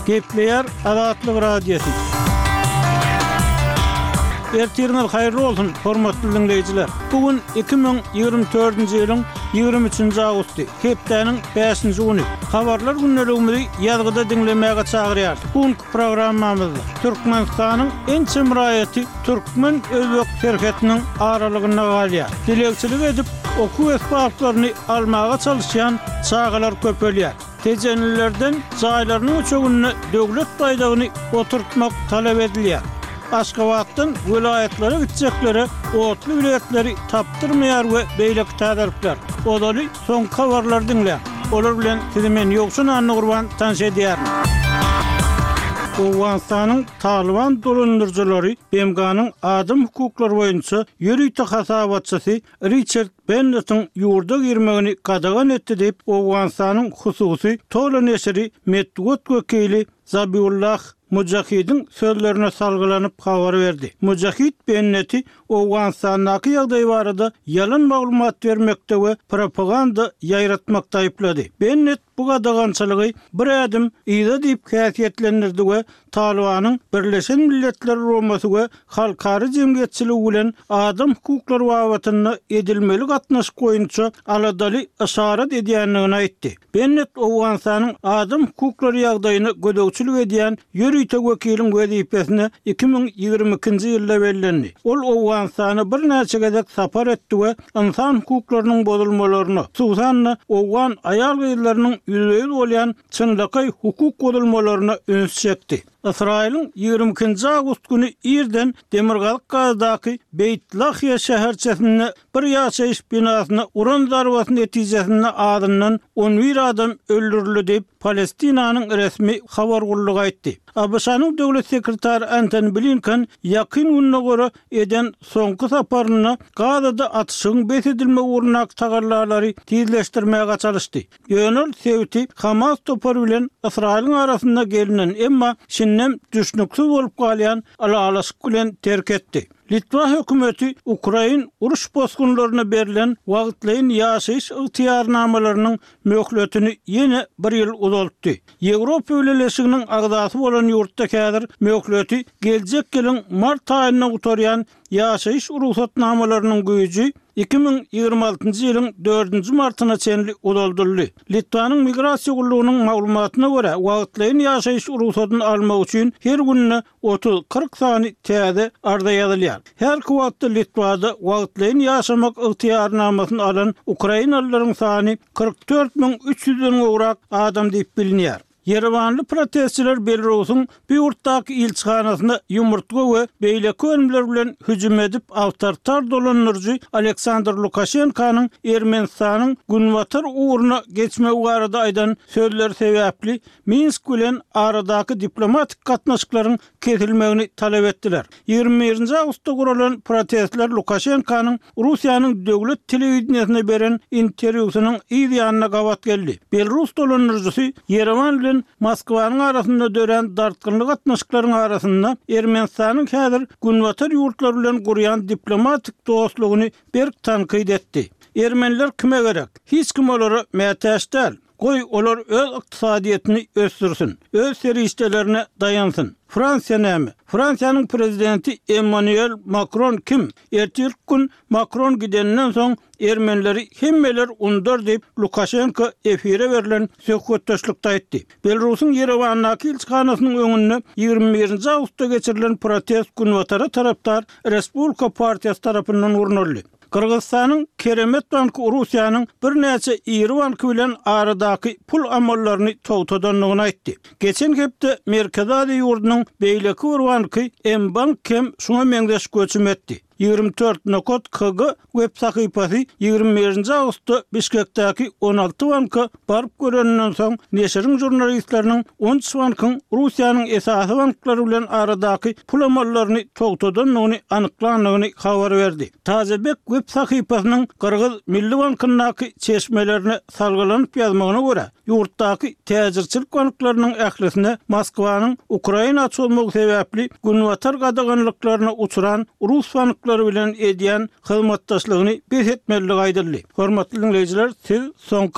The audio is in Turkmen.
Gepleýär Azatlyk Radiosy. Ertiriňiz haýyrly bolsun, hormatly diňleýjiler! Bu gün 2024-nji ýylyň 23-nji awgusty, hepdäniň bäşinji güni. Habarlar gündeligimizi ýazgyda diňlemäge çagyrýarys. Bu günki programmamyzda Türkmenistanyň ençeme raýaty türkmen-özbek serhetiniň aralygynda galýar. Dilegçilik edip, okuw esbaplaryny almaga çalyşýan çagalar köpelýär. Tejenlilerden jaýlarynyň üçeginde döwlet baýdagyny oturtmak talap edilýär. Aşgabatdan welaýatlara gitjeklere otly biletleri tapdyrmaýar we beýleki täzelikler. Ozaly soňky habarlary diňläň. Olar bilen sizi men Ýowşan Annagurban tanyş edýärin. Owganystanyň Talyban dolandyryjylary BMG-niň adam hukuklary boýunça ýörite hasabatçysy Riçard Bennetiň ýurda girmegini gadagan etdi diýip, Owganystanyň hususy Tolo neşiri metbugat wekili Zabiullah Mujahidiň sözlerine salgylanyp habar berdi. Mujahid Benneti Owganystandaky ýagdaý barada ýalan maglumat bermekde we propaganda ýaýratmakda aýyplady. Bennet bu gadagançylygy bir ädim yza diýip häsiýetlendirdi we Talybanyň Birleşen Milletler Guramasy we halkara jemgyýetçiligi bilen adam hukuklary babatynda edilmeli gatnaşyk boýunça aladaly yşarat edýändigini aýtdy. Bennet Owganystanyň adam hukuklary ýagdaýyna gözegçilik edýän ýörite wekiliň wezipesine 2022-nji ýylda bellendi. Ol Owganystana birnäçe gezek sapar etdi we ynsan hukuklarynyň bozulmalaryna, hususan-da, owgan aýal-gyzlarynyň ýüzbe-ýüz bolýan çynlakaý hukuk bozulmalaryna üns çekdi. Ysraýylyň 22-nji awgust güni irden demirgazyk Gazadaky Beýt Lahiýa şäherçesinde bir ýaşaýyş binasyna uran zarbasy netijesinde azyndan 11 adam öldürildi diýip, Palestinanyň resmi habar gullugy aýtdy. ABŞ-nyň döwlet sekretary Antony Blinken Ýakyn Gündogara eden soňky saparynda Gazada atyşygyň bes edilmegi ugrundaky tagallalary tizleşdirmäge çalyşdy. Ýöne ol sebiti Hamas topary bilen Ysraýylyň arasynda gelnen, emma şindem düşnüksiz bolup galýan ylalaşyk bilen terk etdi. Litwa hökümeti ukrain uruş bosgunlaryna berlen wagtlaýyn ýaşaýyş ygtyýarnamalarynyň möhletini ýene bir ýyl uzaltdy. Ýewropa Bileleşiginiň agzasy bolan ýurtda häzir möhleti geljek ýylyň mart aýynda gutarýan ýaşaýyş rugsatnamalarynyň güýji 2026-njy ýylyň dördünji martyna çenli uzaldyldy. Litwanyň Migrasiýa gullugynyň maglumatyna görä, wagtlaýyn ýaşaýyş rugsadyny almak üçin her günde 30-40 sany täze arza ýazylýar. Häzirki wagtda Litwada wagtlaýyn ýaşamak ygtyýarnamasyny alan ukrainalylaryň sany 44 300-den gowrak adam diýip bilinýär. Ýerewanly protestçiler Belarusyň bu ýurtdaky ilçihanasyna ýumurtga we beýleki önümler bilen hüjüm edip, awtoritar dolandyryjy Aleksandr Lukaşenkanyň Ermenistanyň günbatar ugruna geçmegi barada aýdan sözleri sebäpli Minsk bilen aradaky diplomatik gatnaşyklaryň kesilmegini talap etdiler. 21-nji awgustda guralan protestler Lukaşenkanyň Russiýanyň döwlet telewideniýesine beren interwýusynyň yz ýanyna gabat geldi. Belarus dolandyryjysy Ýerewan bilen Moskwanyň arasynda dörän dartgynly gatnaşyklaryň arasynda Ermenistanyň häzir Günbatar ýurtlary bilen gurýan diplomatik dostlugyny berk tankyt etdi. Ermeniler kime gerek? Hiç kim olara mätäç däl. Goý, olar öz ykdysadyýetini ösdürsin, öz serişdelerine daýansyn. Fransiýa näme? Fransiýanyň prezidenti Emmanuel Makron kim? Ertirki gün Makron gideninden soň ermenileri hemmeler unudar diýip, Lukaşenko efire berlen söhbetdeşlikde aýtdy. Belarusyň Ýerewandaky ilçihanasynyň öňünde 21-nji awgustda geçirilen protest Günbatara tarapdar Respublika partiýasy tarapyndan gurnaldy. Gyrgyzystanyň Keremet banky Russiýanyň birnäçe iri banky bilen aradaky pul amallaryny togtadandygyny aýtdy. Geçen hepde Merkezi Aziýa ýurdunyň beýleki bir banky M-Bank hem şuňa meňzeş göçüm etdi. 24 nokat kg web sahypasy 21-nji awgustda Bişkekdäki 16 banka baryp göreninden soň, neşiriň žurnalistleriniň on üç bankyň Russiýanyň esasy banklary bilen aradaky pul amallaryny togtadandygyny anyklandygyny habar berdi. Tazebek web sahypasynyň Gyrgyz Milli bankyndaky çeşmelerine salgylanyp ýazmagyna görä, ýurtdaky täjirçilik banklarynyň ählisine Moskwanyň Ukraina çozmagy sebäpli Günbatar gadaganlyklaryna uçran rus banklary bilen edýän hyzmatdaşlygyny bes etmelidigi aýdyldy. Hormatly diňleýjiler, siz soňky.